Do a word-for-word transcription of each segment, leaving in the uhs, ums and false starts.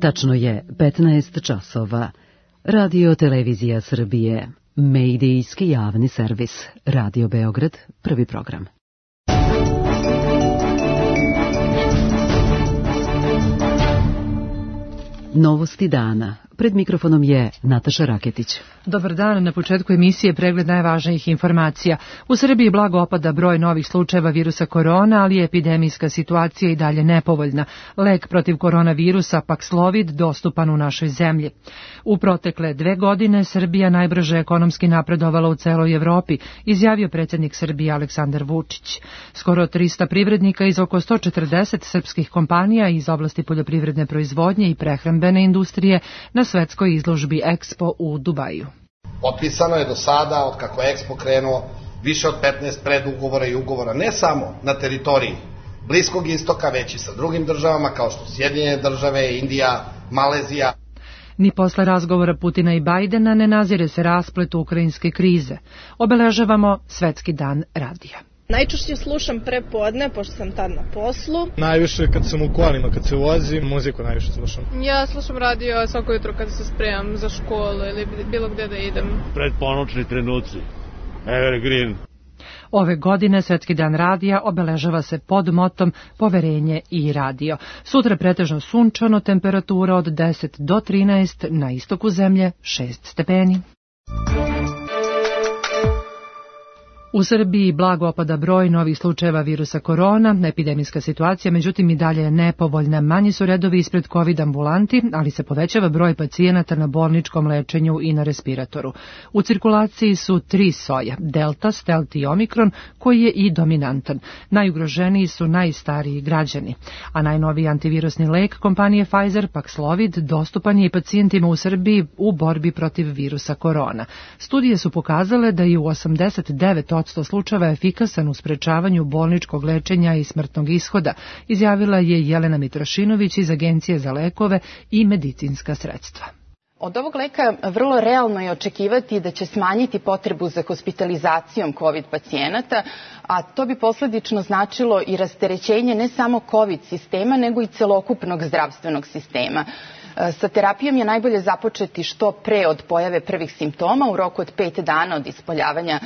Tačno je petnaest časova. Radio Televizija Srbije, medijski javni servis, Radio Beograd, prvi program. Novosti dana. Pred mikrofonom je Nataša Raketić. Dobar dan, na početku emisije pregled najvažnijih informacija. U Srbiji blago opada broj novih slučajeva virusa korona, ali je epidemijska situacija i dalje nepovoljna. Lek protiv koronavirusa Paxlovid dostupan u našoj zemlji. U protekle dve godine Srbija najbrže ekonomski napredovala u celoj Evropi, izjavio predsjednik Srbije Aleksandar Vučić. Skoro trista privrednika iz oko sto četrdeset srpskih kompanija iz oblasti poljoprivredne proizvodnje i prehrambene industrije na svetskoj izložbi Expo u Dubaju. Potpisano je do sada, od kako je Expo krenuo, više od petnaest predugovora i ugovora, ne samo na teritoriji Bliskog istoka, već i sa drugim državama kao što su Sjedinjene države, Indija, Malezija. Ni posle razgovora Putina i Bajdena ne nazire se rasplet ukrajinske krize. Obeležavamo Svetski dan radija. Najčešće slušam pre podne, pošto sam tad na poslu. Najviše kad sam u kolima, kad se vozim, muziku najviše slušam. Ja slušam radio svako jutro kad se spremam za školu ili bilo gde da idem. Pred ponoćni trenuci. Evergreen. Ove godine Svetski dan radija obeležava se pod motom Poverenje i radio. Sutra pretežno sunčano, temperatura od deset do trinaest, na istoku zemlje šest stepeni. U Srbiji blago opada broj novih slučajeva virusa korona, epidemijska situacija međutim i dalje je nepovoljna. Manji su redovi ispred COVID ambulanti, ali se povećava broj pacijenata na bolničkom lečenju i na respiratoru. U cirkulaciji su tri soja, Delta, Stealth i Omikron, koji je i dominantan. Najugroženiji su najstariji građani, a najnoviji antivirusni lek kompanije Pfizer, Paxlovid, dostupan je i pacijentima u Srbiji u borbi protiv virusa korona. Studije su pokazale da je u osamdeset devet posto slučajeva efikasan u sprečavanju bolničkog lečenja i smrtnog ishoda, izjavila je Jelena Mitrošinović iz Agencije za lekove i medicinska sredstva. Od ovog leka vrlo realno je očekivati da će smanjiti potrebu za hospitalizacijom COVID pacijenata, a to bi posledično značilo i rasterećenje ne samo COVID sistema, nego i celokupnog zdravstvenog sistema. Sa terapijom je najbolje započeti što pre od pojave prvih simptoma, u roku od pet dana od ispoljavanja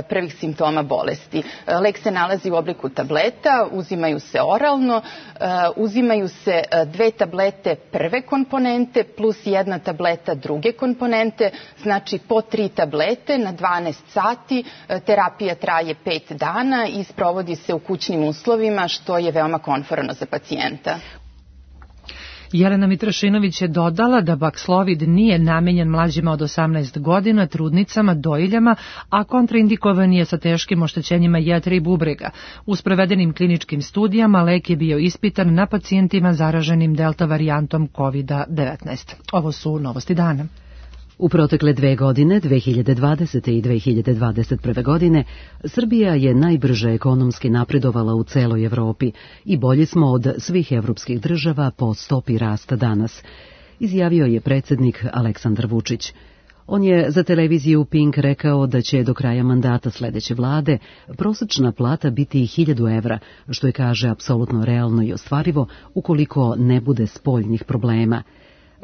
prvih simptoma bolesti. Lek se nalazi u obliku tableta, uzimaju se oralno, uzimaju se dve tablete prve komponente plus jedna tableta druge komponente, znači po tri tablete na dvanaest sati. Terapija traje pet dana i sprovodi se u kućnim uslovima, što je veoma komforno za pacijenta. Jelena Mitrošinović je dodala da Paxlovid nije namenjen mlađima od osamnaest godina, trudnicama, dojiljama, a kontraindikovan je sa teškim oštećenjima jetre i bubrega. U sprovedenim kliničkim studijama lek je bio ispitan na pacijentima zaraženim delta varijantom COVID devetnaest. Ovo su novosti dana. U protekle dve godine, dve hiljade dvadesete. i dve hiljade dvadeset prve. godine, Srbija je najbrže ekonomski napredovala u celoj Evropi i bolji smo od svih evropskih država po stopi rasta danas, izjavio je predsjednik Aleksandar Vučić. On je za televiziju Pink rekao da će do kraja mandata sledeće vlade prosečna plata biti hiljadu evra, što je, kaže, apsolutno realno i ostvarivo ukoliko ne bude spoljnih problema.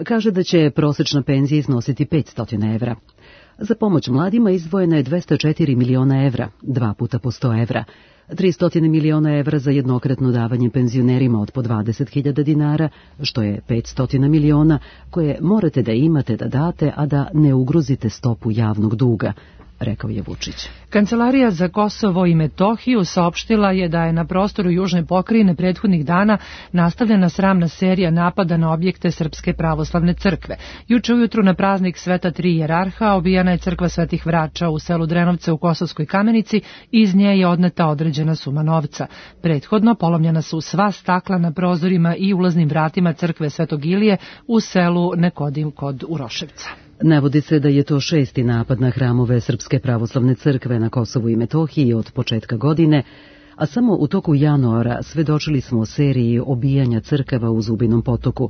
Kaže da će prosečna penzija iznositi petsto evra. Za pomoć mladima izdvojeno je dvesta četiri miliona evra, dva puta po sto evra, tristo miliona evra za jednokratno davanje penzionerima od po dvadeset hiljada dinara, što je petsto miliona koje morate da imate da date, a da ne ugrozite stopu javnog duga, rekao je Vučić. Kancelarija za Kosovo i Metohiju saopštila je da je na prostoru južne pokrajine prethodnih dana nastavljena sramna serija napada na objekte Srpske pravoslavne crkve. Juče ujutru na praznik Sveta Tri Jerarha obijena je crkva Svetih Vrača u selu Drenovce u Kosovskoj Kamenici i iz nje je odneta određena suma novca. Prethodno polomljena su sva stakla na prozorima i ulaznim vratima crkve Svetog Ilije u selu Nekodim kod Uroševca. Navodi se da je to šesti napad na hramove Srpske pravoslavne crkve na Kosovu i Metohiji od početka godine, a samo u toku januara svedočili smo seriji obijanja crkava u Zubinom Potoku.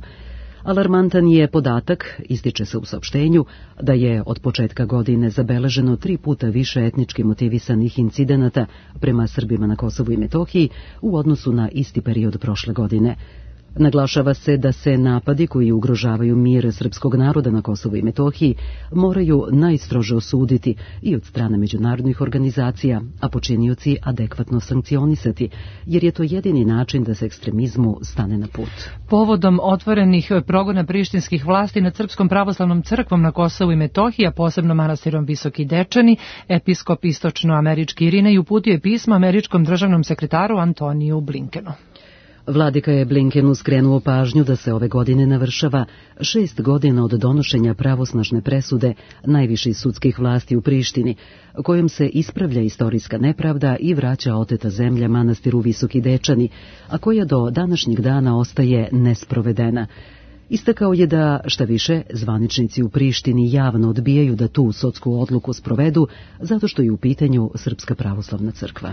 Alarmantan je podatak, ističe se u saopštenju, da je od početka godine zabeleženo tri puta više etnički motivisanih incidenata prema Srbima na Kosovu i Metohiji u odnosu na isti period prošle godine. Naglašava se da se napadi koji ugrožavaju mir srpskog naroda na Kosovu i Metohiji moraju najstrože osuditi i od strane međunarodnih organizacija, a počinioci adekvatno sankcionisati, jer je to jedini način da se ekstremizmu stane na put. Povodom otvorenih progona prištinskih vlasti nad Srpskom pravoslavnom crkvom na Kosovu i Metohiji, a posebno manastirom Visoki Dečani, episkop istočnoamerički Irinej uputio je pismo američkom državnom sekretaru Antoniju Blinkenu. Vladika je Blinkenu skrenuo pažnju da se ove godine navršava šest godina od donošenja pravosnažne presude najviših sudskih vlasti u Prištini, kojom se ispravlja istorijska nepravda i vraća oteta zemlja manastiru Visoki Dečani, a koja do današnjeg dana ostaje nesprovedena. Istakao je da, šta više, zvaničnici u Prištini javno odbijaju da tu sudsku odluku sprovedu, zato što je u pitanju Srpska pravoslavna crkva.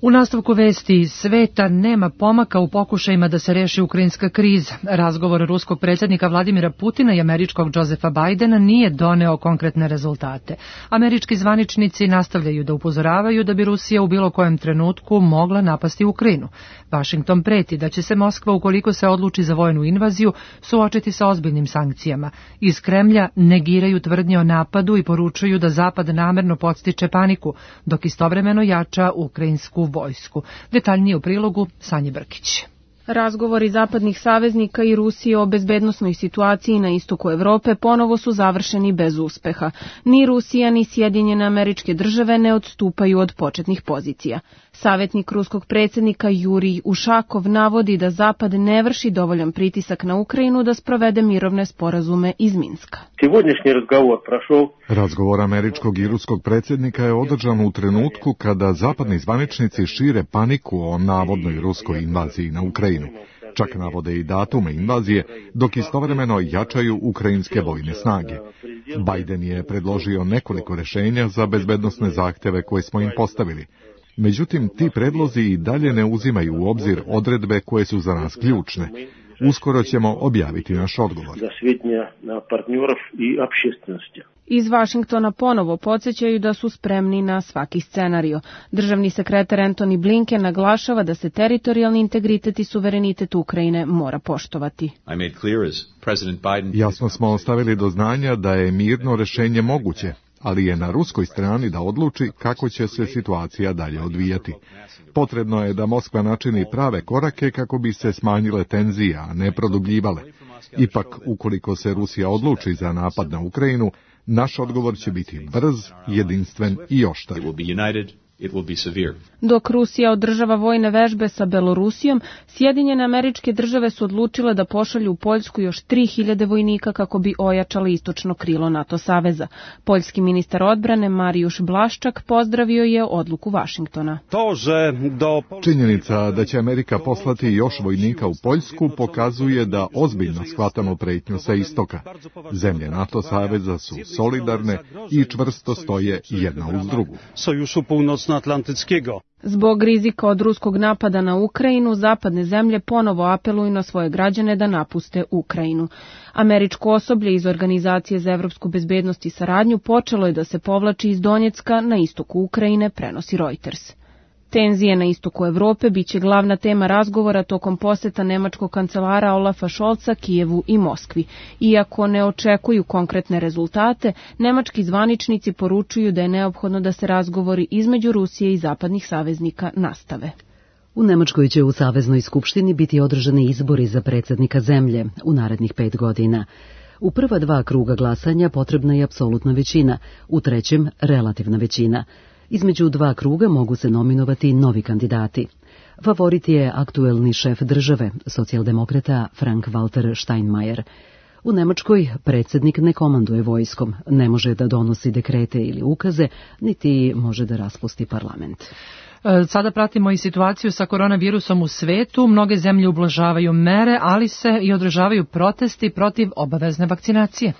U nastavku vesti sveta nema pomaka u pokušajima da se reši ukrajinska kriza. Razgovor ruskog predsjednika Vladimira Putina i američkog Josefa Bidena nije doneo konkretne rezultate. Američki zvaničnici nastavljaju da upozoravaju da bi Rusija u bilo kojem trenutku mogla napasti Ukrajinu. Vašington preti da će se Moskva, ukoliko se odluči za vojnu invaziju, suočiti sa ozbiljnim sankcijama. Iz Kremlja negiraju tvrdnje o napadu i poručuju da Zapad namerno podstiče paniku, dok istovremeno jača ukrajinsku vojsku. Detaljnije u prilogu Sanje Brkić. Razgovori zapadnih saveznika i Rusije o bezbednosnoj situaciji na istoku Evrope ponovo su završeni bez uspeha. Ni Rusija ni Sjedinjene Američke Države ne odstupaju od početnih pozicija. Savjetnik ruskog predsjednika Jurij Ušakov navodi da Zapad ne vrši dovoljan pritisak na Ukrajinu da sprovede mirovne sporazume iz Minska. Razgovor američkog i ruskog predsjednika je održan u trenutku kada zapadni zvaničnici šire paniku o navodnoj ruskoj invaziji na Ukrajinu. Čak navode i datume invazije, dok istovremeno jačaju ukrajinske vojne snage. Biden je predložio nekoliko rješenja za bezbednosne zahtjeve koje smo im postavili. Međutim, ti predlozi i dalje ne uzimaju u obzir odredbe koje su za nas ključne. Uskoro ćemo objaviti naš odgovor. Iz Vašingtona ponovo podsjećaju da su spremni na svaki scenario. Državni sekretar Antony Blinken naglašava da se teritorijalni integritet i suverenitet Ukrajine mora poštovati. Jasno smo ostavili do znanja da je mirno rješenje moguće, ali je na ruskoj strani da odluči kako će se situacija dalje odvijati. Potrebno je da Moskva načini prave korake kako bi se smanjile tenzije, a ne produbljivale. Ipak, ukoliko se Rusija odluči za napad na Ukrajinu, naš odgovor će biti brz, jedinstven i oštar. Dok Rusija održava vojne vežbe sa Belorusijom, Sjedinjene Američke Države su odlučile da pošalju u Poljsku još tri hiljade vojnika kako bi ojačali istočno krilo NATO saveza. Poljski ministar odbrane Marijuš Blaszczak pozdravio je odluku Vašingtona. Činjenica da će Amerika poslati još vojnika u Poljsku pokazuje da ozbiljno shvatamo pretnju sa istoka. Zemlje NATO saveza su solidarne i čvrsto stoje jedna uz drugu. Zbog rizika od ruskog napada na Ukrajinu, zapadne zemlje ponovo apeluju na svoje građane da napuste Ukrajinu. Američko osoblje iz Organizacije za evropsku bezbednost i saradnju počelo je da se povlači iz Donjecka na istoku Ukrajine, prenosi Reuters. Tenzije na istoku Evrope biće glavna tema razgovora tokom poseta nemačkog kancelara Olafa Scholza Kijevu i Moskvi. Iako ne očekuju konkretne rezultate, nemački zvaničnici poručuju da je neophodno da se razgovori između Rusije i zapadnih saveznika nastave. U Nemačkoj će u Saveznoj skupštini biti održani izbori za predsjednika zemlje u narednih pet godina. U prva dva kruga glasanja potrebna je apsolutna većina, u trećem relativna većina. Između dva kruga mogu se nominovati novi kandidati. Favorit je aktuelni šef države, socijaldemokrata Frank-Walter Steinmeier. U Nemačkoj predsjednik ne komanduje vojskom, ne može da donosi dekrete ili ukaze, niti može da raspusti parlament. Sada pratimo i situaciju sa koronavirusom u svetu. Mnoge zemlje ublažavaju mere, ali se i održavaju protesti protiv obavezne vakcinacije.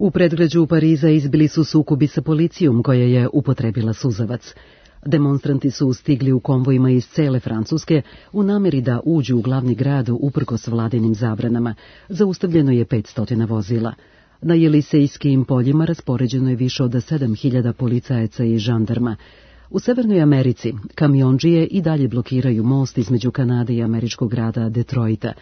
U predgrađu Pariza izbili su sukobi sa policijom koja je upotrebila suzavac. Demonstranti su stigli u konvojima iz cele Francuske u nameri da uđu u glavni grad uprkos vladinim zabranama. Zaustavljeno je petsto vozila. Na Jelisejskim poljima raspoređeno je više od sedam hiljada policajaca i žandarma. U Severnoj Americi kamiondžije i dalje blokiraju most između Kanade i američkog grada Detroita.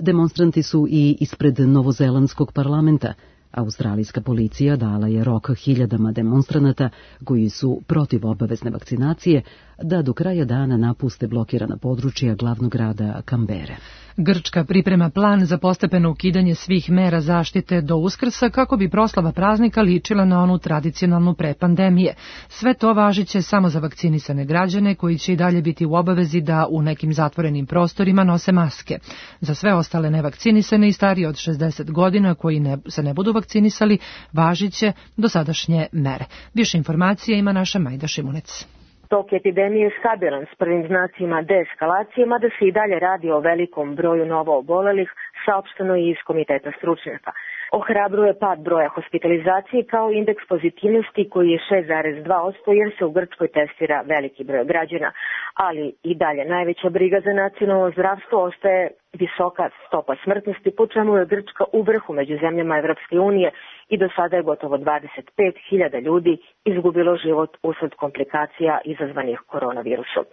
Demonstranti su i ispred novozelandskog parlamenta. Australijska policija dala je rok hiljadama demonstranata koji su protiv obavezne vakcinacije da do kraja dana napuste blokirana područja glavnog grada Kambere. Grčka priprema plan za postepeno ukidanje svih mera zaštite do Uskrsa kako bi proslava praznika ličila na onu tradicionalnu pre pandemije. Sve to važiće samo za vakcinisane građane koji će i dalje biti u obavezi da u nekim zatvorenim prostorima nose maske. Za sve ostale nevakcinisane i starije od šezdeset godina koji ne, se ne budu vakcinisali važiće dosadašnje mere. Više informacije ima naša Majda Šimunec. Tok epidemije je stabilan s prvim znacima deeskalacije, mada se i dalje radi o velikom broju novo obolelih, saopšteno i iz komiteta stručnjaka. Ohrabruje pad broja hospitalizacije kao indeks pozitivnosti koji je šest zarez dva posto jer se u Grčkoj testira veliki broj građana, ali i dalje najveća briga za nacionalno zdravstvo ostaje visoka stopa smrtnosti, po čemu je Grčka u vrhu među zemljama Evropske unije i do sada je gotovo dvadeset pet hiljada ljudi izgubilo život usled komplikacija izazvanih koronavirusom.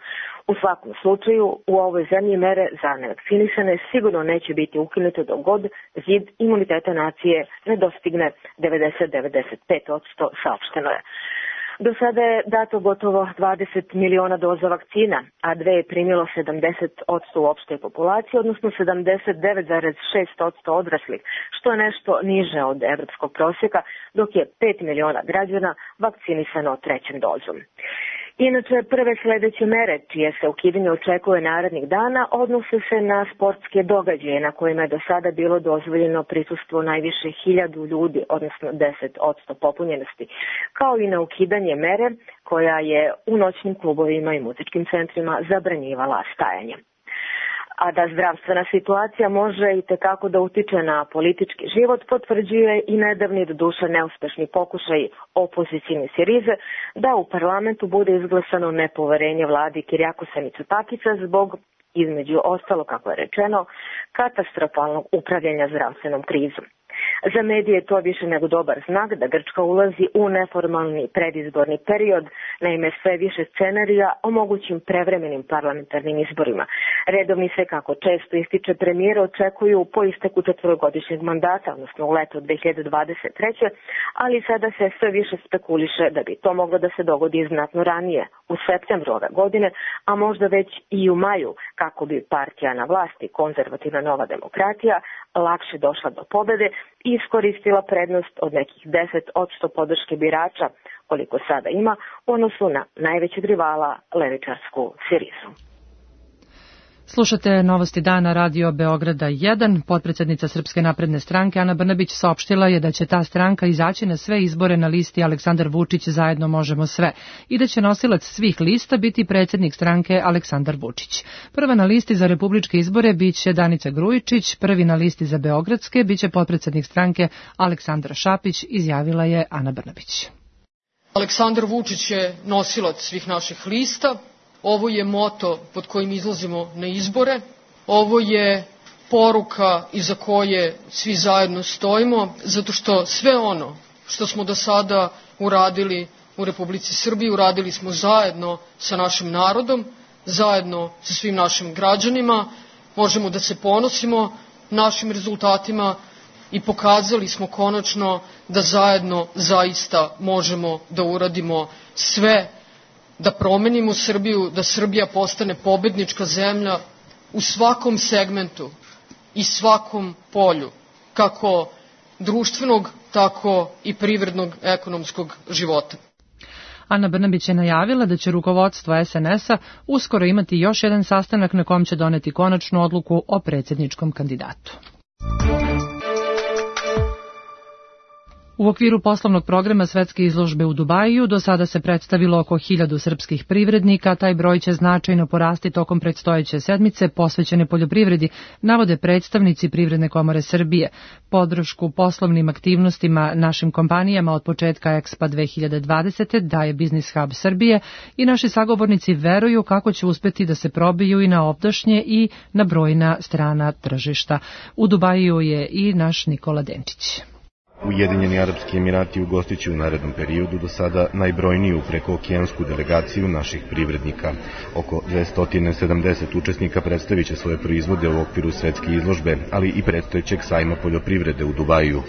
U svakom slučaju, u ovoj zemlji mere za nevakcinisane sigurno neće biti ukinute dok god zid imuniteta nacije ne dostigne devedeset do devedeset pet posto, saopšteno je. Do sada je dato gotovo dvadeset miliona doza vakcina, a dve je primilo sedamdeset posto u opštoj populaciji, odnosno sedamdeset devet zarez šest posto odraslih, što je nešto niže od evropskog prosjeka, dok je pet miliona građana vakcinisano trećom dozom. Inače, prve sledeće mere, čije se ukidanje očekuje narednih dana, odnose se na sportske događaje na kojima je do sada bilo dozvoljeno prisustvo najviše hiljadu ljudi, odnosno deset posto popunjenosti, kao i na ukidanje mere koja je u noćnim klubovima i muzičkim centrima zabranjivala stajanje. A da zdravstvena situacija može i tekako da utiče na politički život, potvrđuje i nedavni doduše neuspešni pokušaj opozicijne Sirize da u parlamentu bude izglasano nepoverenje vladi Kirijakosa Mitsotakića zbog, između ostalo, kako je rečeno, katastrofalnog upravljanja zdravstvenom krizom. Za medije je to više nego dobar znak da Grčka ulazi u neformalni predizborni period, naime sve više scenarija o mogućim prevremenim parlamentarnim izborima. Redovni se, kako često ističe premijer, očekuju po isteku četvorogodišnjeg mandata, odnosno u leto dve hiljade dvadeset treće. ali sada se sve više spekuliše da bi to moglo da se dogodi znatno ranije, u septembru ove godine, a možda već i u maju, kako bi partija na vlasti, konzervativna Nova demokratija, lakše došla do pobede i iskoristila prednost od nekih deset posto podrške birača, koliko sada ima, u odnosu na najvećeg rivala, levičarsku Sirizu. Slušate Novosti dana Radio Beograda jedan. Potpredsednica Srpske napredne stranke Ana Brnabić saopštila je da će ta stranka izaći na sve izbore na listi Aleksandar Vučić zajedno možemo sve i da će nosilac svih lista biti predsednik stranke Aleksandar Vučić. Prva na listi za republičke izbore biće Danica Grujičić, prvi na listi za beogradske biće potpredsednik stranke Aleksandra Šapić, izjavila je Ana Brnabić. Aleksandar Vučić je nosilac svih naših lista. Ovo je moto pod kojim izlazimo na izbore. Ovo je poruka iza koje svi zajedno stojimo, zato što sve ono što smo do sada uradili u Republici Srbiji, uradili smo zajedno sa našim narodom, zajedno sa svim našim građanima. Možemo da se ponosimo našim rezultatima i pokazali smo konačno da zajedno zaista možemo da uradimo sve, da promenimo Srbiju, da Srbija postane pobednička zemlja u svakom segmentu i svakom polju, kako društvenog, tako i privrednog, ekonomskog života. Ana Brnabić je najavila da će rukovodstvo es en es a uskoro imati još jedan sastanak na kom će doneti konačnu odluku o predsjedničkom kandidatu. U okviru poslovnog programa Svetske izložbe u Dubaju do sada se predstavilo oko hiljadu srpskih privrednika, taj broj će značajno porasti tokom predstojeće sedmice posvećene poljoprivredi, navode predstavnici Privredne komore Srbije. Podršku poslovnim aktivnostima našim kompanijama od početka Expo dve hiljade dvadesete daje Business Hub Srbije i naši sagovornici veruju kako će uspeti da se probiju i na ovdašnje i na brojna strana tržišta. U Dubaju je i naš Nikola Denčić. Ujedinjeni Arapski Emirati ugostit će u narednom periodu do sada najbrojniju prekookeansku delegaciju naših privrednika. Oko dvesta sedamdeset učesnika predstavit će svoje proizvode u okviru svetske izložbe, ali i predstojećeg sajma poljoprivrede u Dubaju.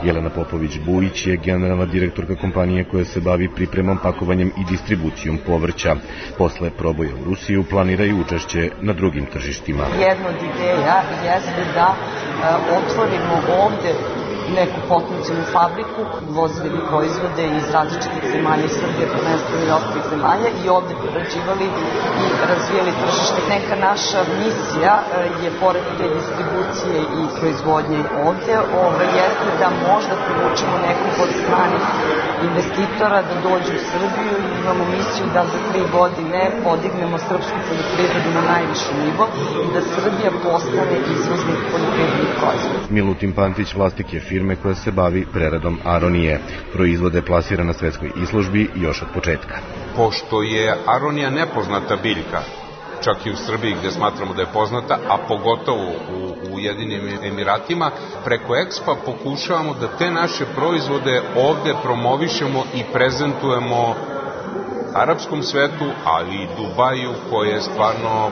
Jelena Popović-Bujić je generalna direktorka kompanije koja se bavi pripremom, pakovanjem i distribucijom povrća. Posle proboja u Rusiju planiraju učešće na drugim tržištima. Jedna od ideja jeste da otvorimo ovde neku potencijalnu fabriku, vozili bi proizvode iz različitih zemalja iz Srbije, prvenstveno i ostalih zemalja i ovde prerađivali i razvijali tržište. Neka naša misija je, pored te distribucije i proizvodnje ovde, ovo jeste da možda privučemo nekog od stranih investitora da dođu u Srbiju i imamo misiju da za tri godine podignemo srpsku poljoprivredu na najviši nivo i da Srbija postane izvoznik poljoprivrednih proizvoda. Milutin Pantić vlasnik je firme koja se bavi preradom aronije. Proizvode plasira na svetskoj izložbi još od početka. Pošto je aronija nepoznata biljka, čak i u Srbiji gde smatramo da je poznata, a pogotovo u Ujedinjenim Emiratima, preko Expa pokušavamo da te naše proizvode ovde promovišemo i prezentujemo arapskom svetu, ali i Dubaju, koje je stvarno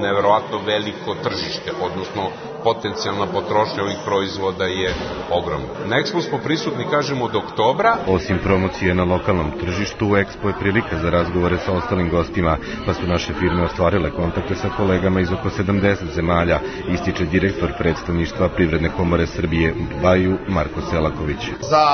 neverovatno veliko tržište, odnosno potencijalna potrošnja ovih proizvoda je ogromna. Na Expo smo prisutni, kažemo, od oktobra. Osim promocije na lokalnom tržištu, Expo je prilika za razgovore sa ostalim gostima, pa su naše firme ostvarile kontakte sa kolegama iz oko sedamdeset zemalja, ističe direktor predstavništva Privredne komore Srbije u Dubaju, Marko Selaković. Za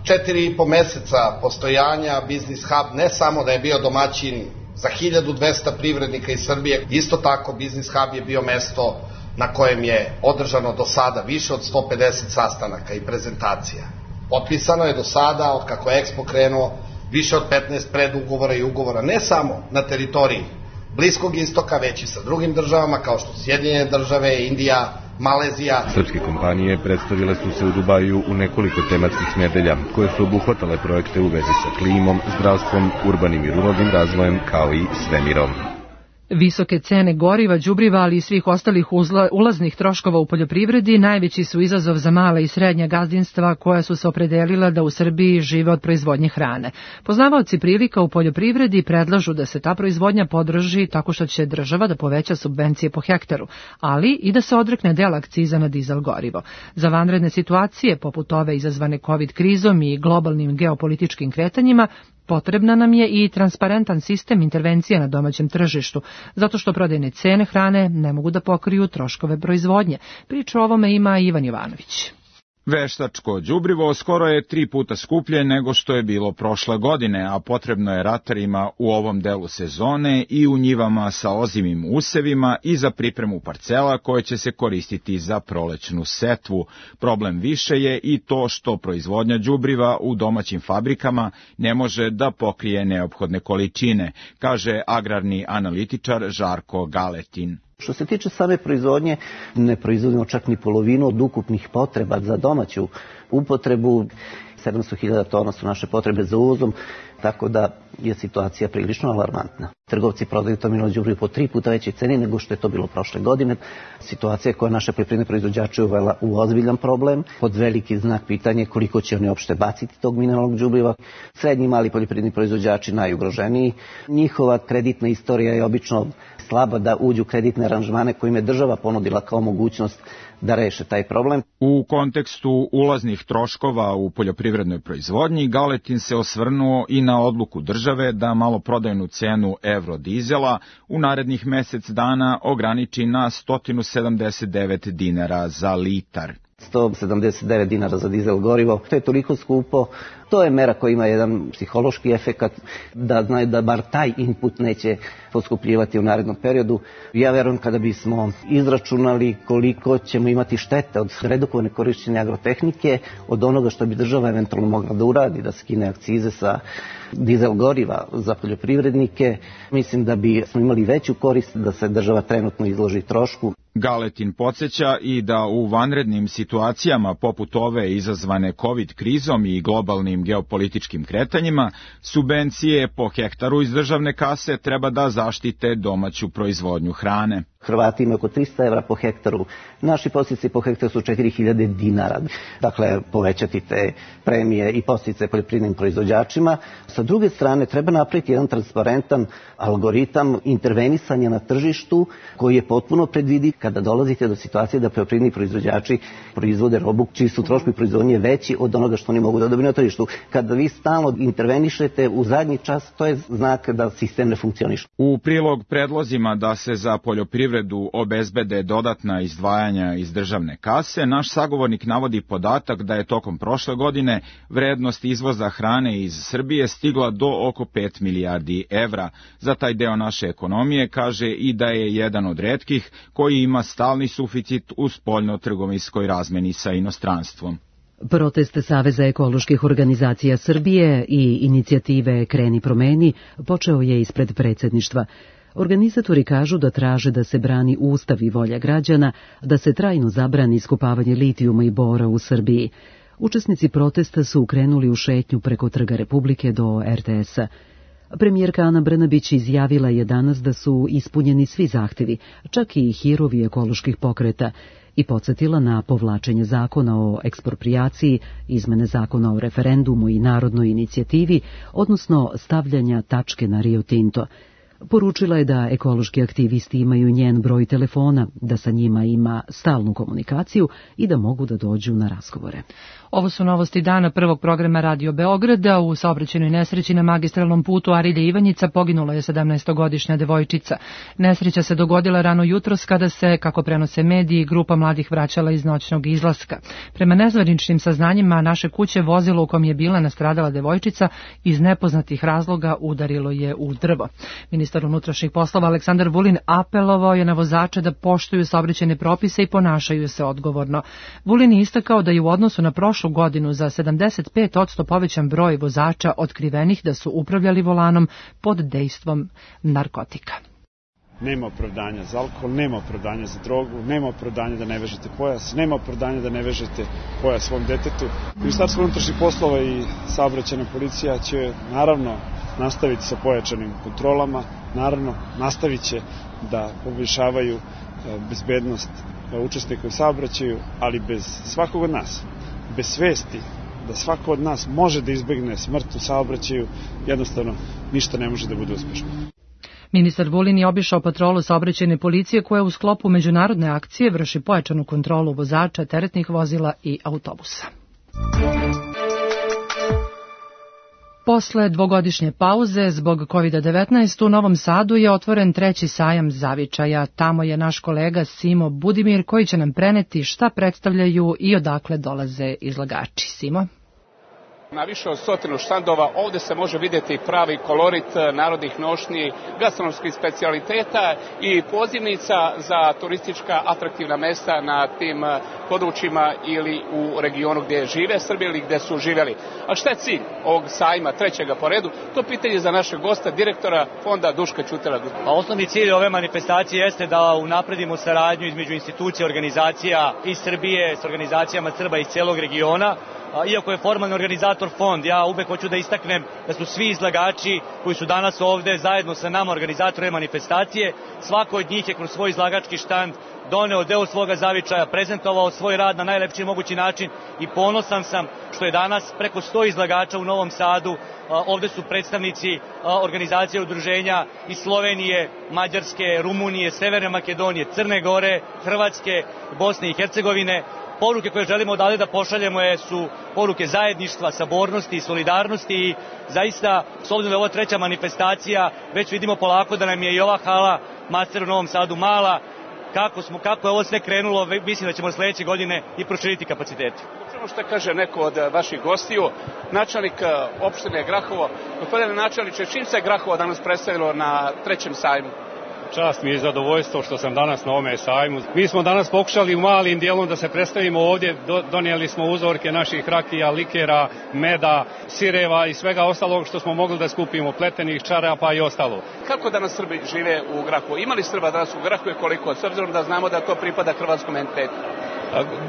četiri i po meseca postojanja Business Hub ne samo da je bio domaćin za hiljadu dvesta privrednika iz Srbije, isto tako Business Hub je bio mesto na kojem je održano do sada više od sto pedeset sastanaka i prezentacija. Potpisano je do sada, od kako je Expo krenuo, više od petnaest predugovora i ugovora, ne samo na teritoriji Bliskog istoka, već i sa drugim državama kao što su Sjedinjene države, Indija, Malezija. Srpske kompanije predstavile su se u Dubaju u nekoliko tematskih nedelja, koje su obuhvatale projekte u vezi sa klimom, zdravstvom, urbanim i ruralnim razvojem, kao i svemirom. Visoke cene goriva, đubriva, ali i svih ostalih uzla, ulaznih troškova u poljoprivredi najveći su izazov za mala i srednja gazdinstva koja su se opredelila da u Srbiji žive od proizvodnje hrane. Poznavaoci prilika u poljoprivredi predlažu da se ta proizvodnja podrži tako što će država da poveća subvencije po hektaru, ali i da se odrekne dela akciza na dizel gorivo. Za vanredne situacije, poput ove izazvane kovid krizom i globalnim geopolitičkim kretanjima, potrebna nam je i transparentan sistem intervencija na domaćem tržištu, zato što prodajne cene hrane ne mogu da pokriju troškove proizvodnje. Priču o ovome ima Ivan Jovanović. Veštačko đubrivo skoro je tri puta skuplje nego što je bilo prošle godine, a potrebno je ratarima u ovom delu sezone i u njivama sa ozimim usevima i za pripremu parcela koje će se koristiti za prolećnu setvu. Problem više je i to što proizvodnja đubriva u domaćim fabrikama ne može da pokrije neophodne količine, kaže agrarni analitičar Žarko Galetin. Što se tiče same proizvodnje, ne proizvodimo čak ni polovinu od ukupnih potreba za domaću upotrebu. sedamsto hiljada tona su naše potrebe za uvozom, tako da je situacija prilično alarmantna. Trgovci prodaju to mineralno đubrivo po tri puta većoj ceni nego što je to bilo prošle godine. Situacija koja naše poljoprivredne proizvođače uvela u ozbiljan problem. Pod veliki znak pitanja koliko će oni uopšte baciti tog mineralnog đubriva. Srednji i mali poljoprivredni proizvođači najugroženiji. Njihova kreditna istorija je obično slaba da uđu kreditne aranžmane koje im je država ponudila kao mogućnost da reše taj problem. U kontekstu ulaznih troškova u poljoprivrednoj proizvodnji, Galetin se osvrnuo i na odluku države da maloprodajnu cenu evrodizela u narednih mesec dana ograniči na sto sedamdeset devet dinara za litar. sto sedamdeset devet dinara za dizel gorivo, to je toliko skupo. To je mera koja ima jedan psihološki efekat da znaju da bar taj input neće poskupljivati u narednom periodu. Ja verujem kada bismo izračunali koliko ćemo imati štete od redukovane korišćenja agrotehnike, od onoga što bi država eventualno mogla da uradi, da skine akcize sa dizel goriva za poljoprivrednike, mislim da bi smo imali veću korist da se država trenutno izloži trošku. Galetin podsjeća i da u vanrednim situacijama poput ove izazvane COVID krizom i globalnim geopolitičkim kretanjima, subvencije po hektaru iz državne kase treba da zaštite domaću proizvodnju hrane. Hrvati imaju oko trista evra po hektaru, naši podsticaji po hektaru su četiri hiljade dinara. Dakle, povećati te premije i podsticaje poljoprivrednim proizvođačima. Sa druge strane, treba napraviti jedan transparentan algoritam intervenisanja na tržištu koji je potpuno predvidiv kada dolazite do situacije da poljoprivredni proizvođači proizvode robu čiji su troškovi proizvodnje veći od onoga što oni mogu da dobiju na tržištu. Kada vi stalno intervenišete u zadnji čas, to je znak da sistem ne funkcioniše. U prilog predlozima da se za poljoprivrednu privredu obezbede dodatna izdvajanja iz državne kase, naš sagovornik navodi podatak da je tokom prošle godine vrednost izvoza hrane iz Srbije stigla do oko pet milijardi evra. Za taj deo naše ekonomije kaže i da je jedan od retkih koji ima stalni suficit u spoljno-trgovinskoj razmeni sa inostranstvom. Protest Saveza ekoloških organizacija Srbije i inicijative Kreni promeni počeo je ispred predsjedništva. Organizatori kažu da traže da se brani ustav i volja građana, da se trajno zabrani iskopavanje litijuma i bora u Srbiji. Učesnici protesta su krenuli u šetnju preko Trga Republike do er te esa. Premijerka Ana Brnabić izjavila je danas da su ispunjeni svi zahtevi, čak i hirovi ekoloških pokreta, i podsjetila na povlačenje zakona o eksproprijaciji, izmene zakona o referendumu i narodnoj inicijativi, odnosno stavljanja tačke na Rio Tinto. Poručila je da ekološki aktivisti imaju njen broj telefona, da sa njima ima stalnu komunikaciju i da mogu da dođu na razgovore. Ovo su novosti dana prvog programa Radio Beograda. U saobraćajnoj nesreći na magistralnom putu Arilje Ivanjica poginula je sedamnaestogodišnja devojčica. Nesreća se dogodila rano jutros kada se, kako prenose mediji, grupa mladih vraćala iz noćnog izlaska. Prema nezvaničnim saznanjima, naše kuće vozilo u kom je bila nastradala devojčica iz nepoznatih razloga udarilo je u drvo. Ministar unutrašnjih poslova Aleksandar Vulin apelovao je na vozače da poštuju saobraćajne propise i ponašaju se odgovorno. Vulin je istakao da je u odnosu na prošlu godinu za sedamdeset pet posto povećan broj vozača otkrivenih da su upravljali volanom pod dejstvom narkotika. Nema opravdanja za alkohol, nema opravdanja za drogu, nema opravdanja da ne vežete pojas, nema opravdanja da ne vežete pojas svom detetu. Ministarstvo unutrašnjih poslova i saobraćajna policija će naravno nastaviti sa pojačanim kontrolama, naravno nastavit će da poboljšavaju bezbednost učesnika u saobraćaju, ali bez svakog od nas, bez svesti da svako od nas može da izbegne smrt u saobraćaju, jednostavno ništa ne može da bude uspešno. Ministar Vulin je obišao patrolu saobraćajne policije koja u sklopu međunarodne akcije vrši pojačanu kontrolu vozača, teretnih vozila i autobusa. Posle dvogodišnje pauze zbog kovid devetnaest u Novom Sadu je otvoren treći sajam zavičaja. Tamo je naš kolega Simo Budimir koji će nam preneti šta predstavljaju i odakle dolaze izlagači. Simo? Na više od stotinu štandova ovde se može vidjeti pravi kolorit narodnih nošnji, gastronomskih specijaliteta i pozivnica za turistička atraktivna mesta na tim područjima ili u regionu gdje žive Srbi ili gdje su živjeli. A šta je cilj ovog sajma, trećega po redu? To pitanje za našeg gosta, direktora fonda Duška Ćutela. A osnovni cilj ove manifestacije jeste da unapredimo saradnju između institucija, organizacija iz Srbije s organizacijama Srba iz cijelog regiona. Iako je formalni organizator fond, ja uvek hoću da istaknem da su svi izlagači koji su danas ovde zajedno sa nama organizatorima manifestacije, svako od njih je kroz svoj izlagački štand doneo deo svoga zavičaja, prezentovao svoj rad na najlepši mogući način i ponosan sam što je danas preko sto izlagača u Novom Sadu. Ovde su predstavnici organizacije udruženja iz Slovenije, Mađarske, Rumunije, Severne Makedonije, Crne Gore, Hrvatske, Bosne i Hercegovine. Poruke koje želimo odavde da pošaljemo je, su poruke zajedništva, sabornosti i solidarnosti i zaista, s obzirom da je ovo treća manifestacija, već vidimo polako da nam je i ova hala Master u Novom Sadu mala. Kako, smo, kako je ovo sve krenulo, mislim da ćemo sljedeće godine i proširiti kapacitete. Samo što kaže neko od vaših gostiju, načelnik opštine Grahovo. Gospodine načelniče, čim se Grahovo danas predstavilo na trećem sajmu? čast mi je i zadovoljstvo što sam danas na ovome sajmu. Mi smo danas pokušali u malim dijelom da se predstavimo ovdje, donijeli smo uzorke naših rakija, likera, meda, sireva i svega ostalog što smo mogli da skupimo, pletenih čarapa i ostalo. Kako danas Srbi žive u Grahovu? Ima li Srba danas u Grahovu i koliko? S obzirom da znamo da to pripada hrvatskom entitetu.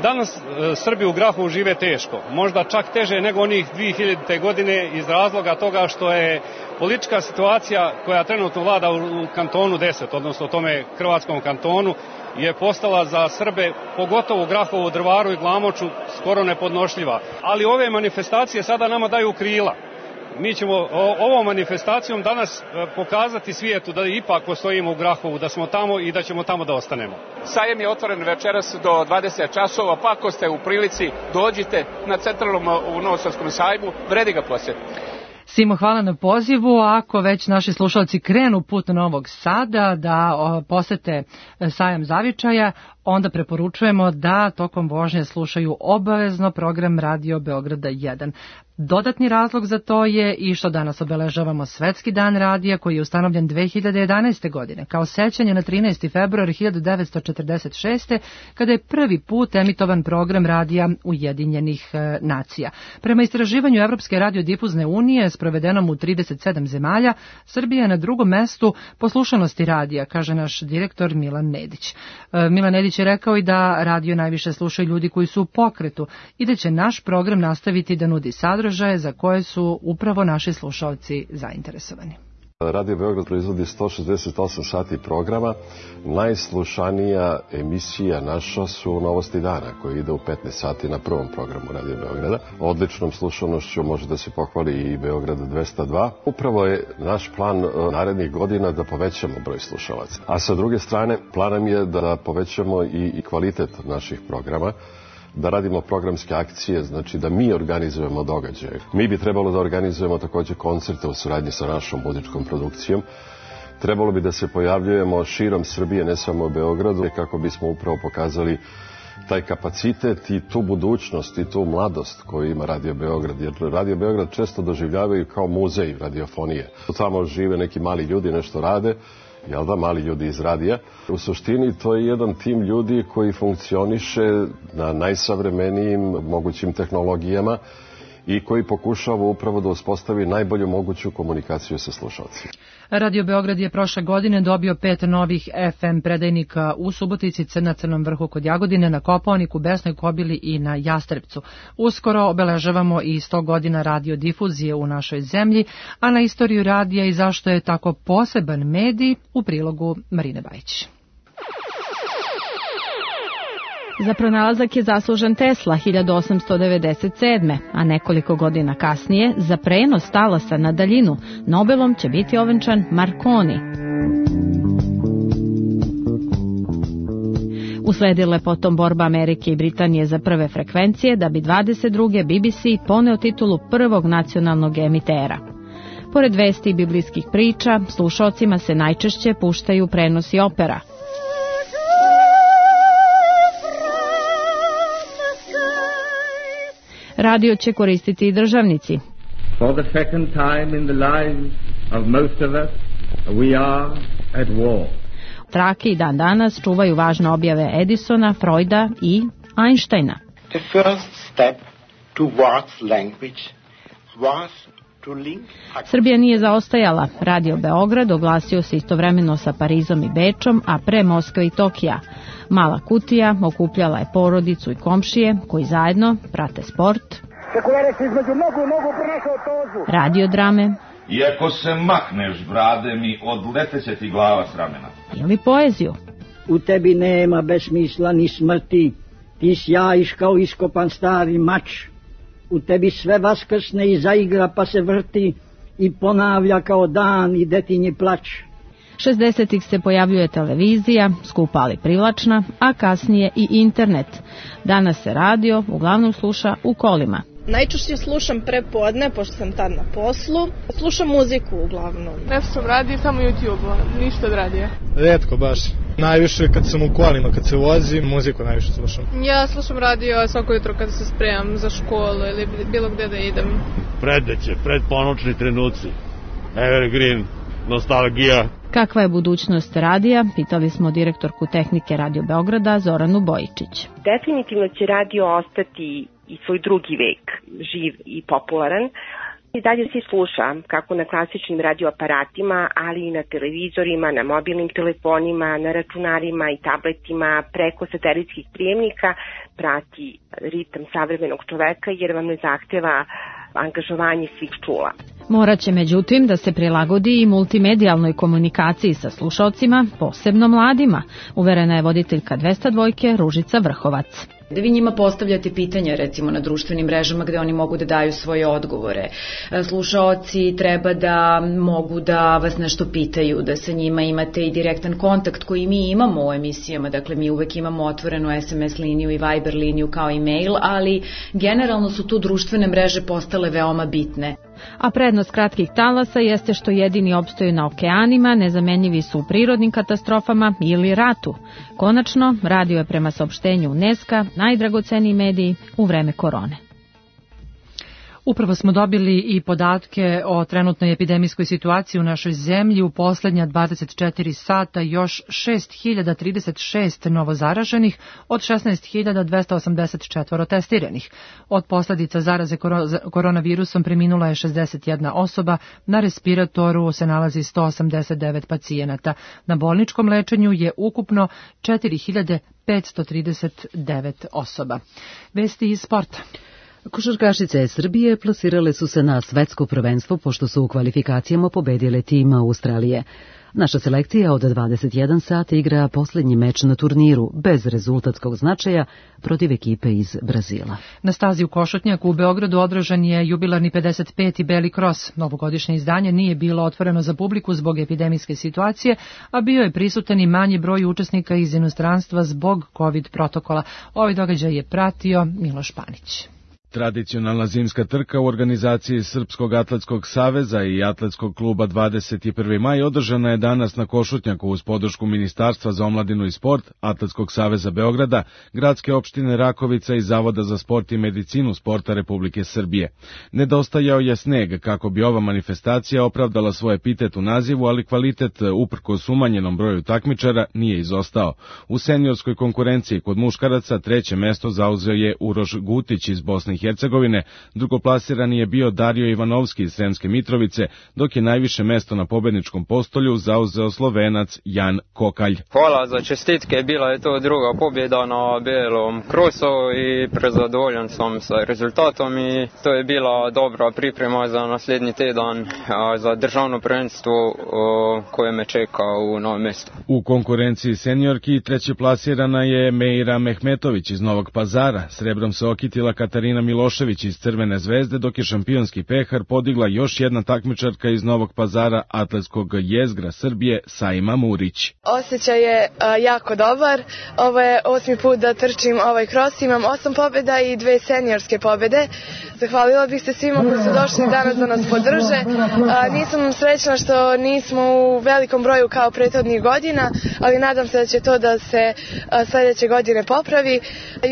Danas Srbi u Grahovu žive teško, možda čak teže nego onih dvije hiljadite. godine iz razloga toga što je politička situacija koja trenutno vlada u kantonu deset, odnosno tome hrvatskom kantonu, je postala za Srbe, pogotovo u Grahovu, Drvaru i Glamoču, skoro nepodnošljiva. Ali ove manifestacije sada nama daju krila. Mi ćemo ovom manifestacijom danas pokazati svijetu da ipak postojimo u Grahovu, da smo tamo i da ćemo tamo da ostanemo. Sajem je otvoren večeras do dvadeset časova, pa ako ste u prilici, dođite na centralnom u Novosadskom sajmu, vredi ga posjetiti. Simo, hvala na pozivu. Ako već naši slušalci krenu put Novog Sada da posete sajam zavičaja, onda preporučujemo da tokom vožnje slušaju obavezno program Radio Beograda jedan. Dodatni razlog za to je i što danas obeležavamo Svetski dan radija koji je ustanovljen dve hiljade jedanaeste. godine kao sećanje na trinaesti februar hiljadu devetsto četrdeset šeste. kada je prvi put emitovan program radija Ujedinjenih nacija. Prema istraživanju Evropske radiodifuzne unije sprovedenom u trideset sedam zemalja, Srbija je na drugom mestu po slušanosti radija, kaže naš direktor Milan Nedić. Milan Nedić je rekao i da radio najviše slušaju ljudi koji su u pokretu i da će naš program nastaviti da nudi sadržaj za koje su upravo naši slušalci zainteresovani. Radio Beograd proizvodi sto šezdeset osam sati programa. Najslušanija emisija naša su Novosti dana, koja ide u petnaest sati na prvom programu Radio Beograda. Odličnom slušanošću može da se pohvali i Beograd dvesta dva. Upravo je naš plan narednih godina da povećamo broj slušalaca. A sa druge strane, plan nam je da povećamo i, i kvalitet naših programa, da radimo programske akcije, znači da mi organizujemo događaje. Mi bi trebalo da organizujemo također koncerte u suradnji sa našom muzičkom produkcijom. Trebalo bi da se pojavljujemo širom Srbije, ne samo u Beogradu, kako bismo upravo pokazali taj kapacitet i tu budućnost i tu mladost koju ima Radio Beograd. Jer Radio Beograd često doživljavaju kao muzej radiofonije. Tamo žive neki mali ljudi, nešto rade, jel da, mali ljudi iz radija. U suštini to je jedan tim ljudi koji funkcioniše na najsavremenijim mogućim tehnologijama i koji pokušava upravo da uspostavi najbolju moguću komunikaciju sa slušalcima. Radio Beograd je prošle godine dobio pet novih F M predajnika u Subotici, na Crnom vrhu kod Jagodine, na Kopaoniku, Besnoj Kobili i na Jastrepcu. Uskoro obeležavamo i sto godina radiodifuzije u našoj zemlji, a na istoriju radija i zašto je tako poseban medij u prilogu Marine Bajić. Za pronalazak je zaslužen Tesla hiljadu osamsto devedeset sedme. a nekoliko godina kasnije za prenos talasa na daljinu Nobelom će biti ovenčan Marconi. Usledila je potom borba Amerike i Britanije za prve frekvencije, da bi dvadeset druge B B C poneo titulu prvog nacionalnog emitera. Pored vesti i biblijskih priča, slušaocima se najčešće puštaju prenosi opera. Radio će koristiti i državnici. For the second time in the lives of most of us, we are at war. Trake i dan danas čuvaju važne objave Edisona, Freuda i Einsteina. The first step towards language was to link... Srbija nije zaostajala. Radio Beograd oglasio se istovremeno sa Parizom i Bečom, a pre Moskve i Tokija. Mala kutija okupljala je porodicu i komšije koji zajedno prate sport, radiodrame, iako se mahneš brade mi odleteće ti glava s ramena, ili poeziju. U tebi nema besmisla ni smrti, ti sjajiš kao iskopan stari mač. U tebi sve vaskrsne i zaigra pa se vrti i ponavlja kao dan i detinji plać. šezdesetih se pojavljuje televizija, skupa ali privlačna, a kasnije i internet. Danas se radio uglavnom sluša u kolima. Najčešće slušam prepodne, pošto sam tad na poslu. Slušam muziku uglavnom. Ne slušam radio, samo YouTube, ništa od radija. Rijetko baš. Najviše kad sam u kolima, kad se vozim, muziku najviše slušam. Ja slušam radio svako jutro kada se spremam za školu ili bilo gde da idem. Predeće, predponočni trenuci. Evergreen. nostalgija. Kakva je budućnost radija? Pitali smo direktorku tehnike Radio Beograda Zoranu Bojičić. Definitivno će radio ostati i svoj drugi vek, živ i popularan. I dalje se sluša, kako na klasičnim radioaparatima, ali i na televizorima, na mobilnim telefonima, na računarima i tabletima, preko satelitskih prijemnika, prati ritam savremenog čoveka jer vam ne zahteva angažovanje svih čula. Moraće međutim da se prilagodi i multimedijalnoj komunikaciji sa slušaocima, posebno mladima, uverena je voditeljka dvesta dvojke Ružica Vrhovac. Da vi njima postavljate pitanja recimo na društvenim mrežama gde oni mogu da daju svoje odgovore. Slušaoci treba da mogu da vas nešto pitaju, da sa njima imate i direktan kontakt koji mi imamo u emisijama. Dakle, mi uvek imamo otvorenu es em es liniju i Viber liniju kao i mail, ali generalno su tu društvene mreže postale veoma bitne. A prednost kratkih talasa jeste što jedini opstaju na okeanima, nezamenjivi su u prirodnim katastrofama ili ratu. Konačno, radio je prema saopštenju UNESCO najdragoceniji mediji u vreme korone. Upravo smo dobili i podatke o trenutnoj epidemijskoj situaciji u našoj zemlji. U poslednja dvadeset četiri sata još šest hiljada trideset šest novozaraženih od šesnaest hiljada dvesta osamdeset četiri testiranih. Od posledica zaraze koronavirusom preminula je šezdeset jedna osoba, na respiratoru se nalazi sto osamdeset devet pacijenata. Na bolničkom lečenju je ukupno četiri hiljade petsto trideset devet osoba. Vesti iz sporta. Košarkašice Srbije plasirale su se na svetsko prvenstvo pošto su u kvalifikacijama pobedile tim Australije. Naša selekcija od dvadeset jedan sata igra poslednji meč na turniru bez rezultatskog značaja protiv ekipe iz Brazila. Na stazi u Košutnjaku u Beogradu održan je jubilarni pedeset peti Beli Kros. Novogodišnje izdanje nije bilo otvoreno za publiku zbog epidemijske situacije, a bio je prisutan i manji broj učesnika iz inostranstva zbog COVID protokola. Ovaj događaj je pratio Miloš Panić. Tradicionalna zimska trka u organizaciji Srpskog atletskog saveza i atletskog kluba dvadeset prvi maj održana je danas na Košutnjaku uz podršku Ministarstva za omladinu i sport, Atletskog saveza Beograda, gradske opštine Rakovica i Zavoda za sport i medicinu sporta Republike Srbije. Nedostajao je sneg kako bi ova manifestacija opravdala svoj epitet u nazivu, ali kvalitet uprkos umanjenom broju takmičara nije izostao. U seniorskoj konkurenciji kod muškaraca treće mesto zauzeo je Uroš Gutić iz Bosne i Hercegovine, drugoplasirani je bio Dario Ivanovski iz Sremske Mitrovice, dok je najviše mesto na pobedničkom postolju zauzeo Slovenac Jan Kokalj. Hvala za čestitke, bila je to druga pobjeda na Belom krosu i prezadovoljan sam sa rezultatom i to je bila dobra priprema za naslednji tjedan za državno prvenstvo koje me čeka u Novom Mestu. U konkurenciji seniorki treće plasirana je Meira Mehmetović iz Novog Pazara, srebrom se okitila Katarina Milošević iz Crvene zvezde, dok je šampionski pehar podigla još jedna takmičarka iz Novog Pazara, atletskog jezgra Srbije, Saima Murić. Osjećaj je a, jako dobar. Ovo je osmi put da trčim ovaj kros. Imam osam pobjeda i dve seniorske pobjede. Zahvalila bih se svima koji su došli danas da nas podrže. A, nisam srećna što nismo u velikom broju kao prethodnih godina, ali nadam se da će to da se a, sledeće godine popravi.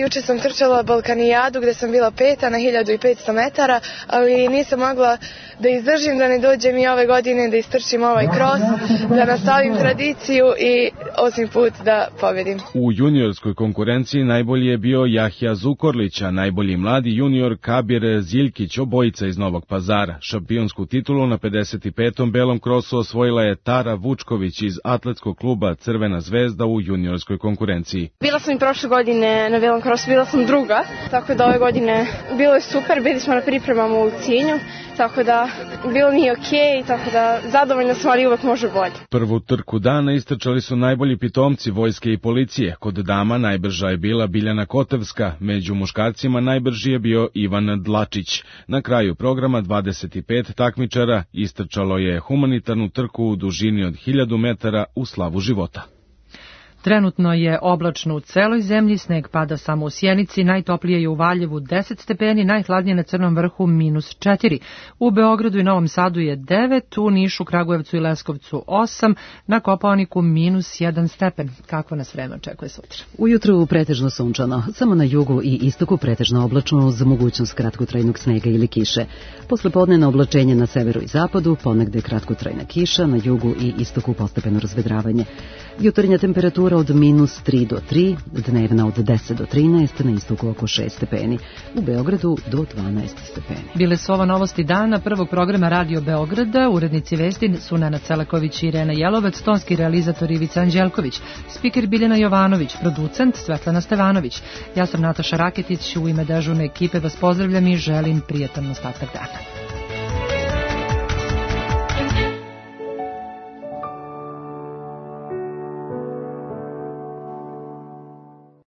Juče sam trčala Balkanijadu gde sam bila peta na hiljadu petsto metara, ali nisam mogla da izdržim da ne dođem i ove godine da istrčim ovaj kros, da nastavim tradiciju i osmi put da pobedim. U juniorskoj konkurenciji najbolji je bio Jahja Zukorlić, a najbolji mladi junior Kabir Ziljkić, obojica iz Novog Pazara. Šampionsku titulu na pedeset petom belom krosu osvojila je Tara Vučković iz atletskog kluba Crvena zvezda u juniorskoj konkurenciji. Bila sam i prošle godine na belom krosu, bila sam druga, tako da ove godine bilo je super, bili smo na pripremama u Cijenju, tako da bilo mi je okej, tako da zadovoljno smo, ali uvek može bolje. Prvu trku dana istrčali su najbolji pitomci vojske i policije. Kod dama najbrža je bila Biljana Kotevska, među muškarcima najbrži je bio Ivan Dlačić. Na kraju programa dvadeset pet takmičara istrčalo je humanitarnu trku u dužini od hiljadu metara u slavu života. Trenutno je oblačno u celoj zemlji, sneg pada samo u Sjenici, najtoplije je u Valjevu deset stepeni, najhladnije na Crnom vrhu minus četiri. U Beogradu i Novom Sadu je devet, u Nišu, Kragujevcu i Leskovcu osam, na Kopaoniku minus jedan stepen. Kakvo nas vreme očekuje sutra? Ujutru pretežno sunčano, samo na jugu i istoku pretežno oblačno uz mogućnost kratkotrajnog snega ili kiše. Poslepodnevno oblačenje na severu i zapadu, ponegde kratkotrajna kiša, na jugu i istoku postepeno razvedravanje. Jutarnja temperatura od minus tri do tri, dnevna od deset do trinaest, na istoku oko šest stepeni, u Beogradu do dvanaest stepeni. Bile su ovo novosti dana prvog programa Radio Beograda, urednici vesti su Nena Celaković i Irena Jelovac, tonski realizator Ivica Anđelković, spiker Biljana Jovanović, producent Svetlana Stevanović. Ja sam Nataša Raketić, u ime dežurne ekipe vas pozdravljam i želim prijatan ostatak dana.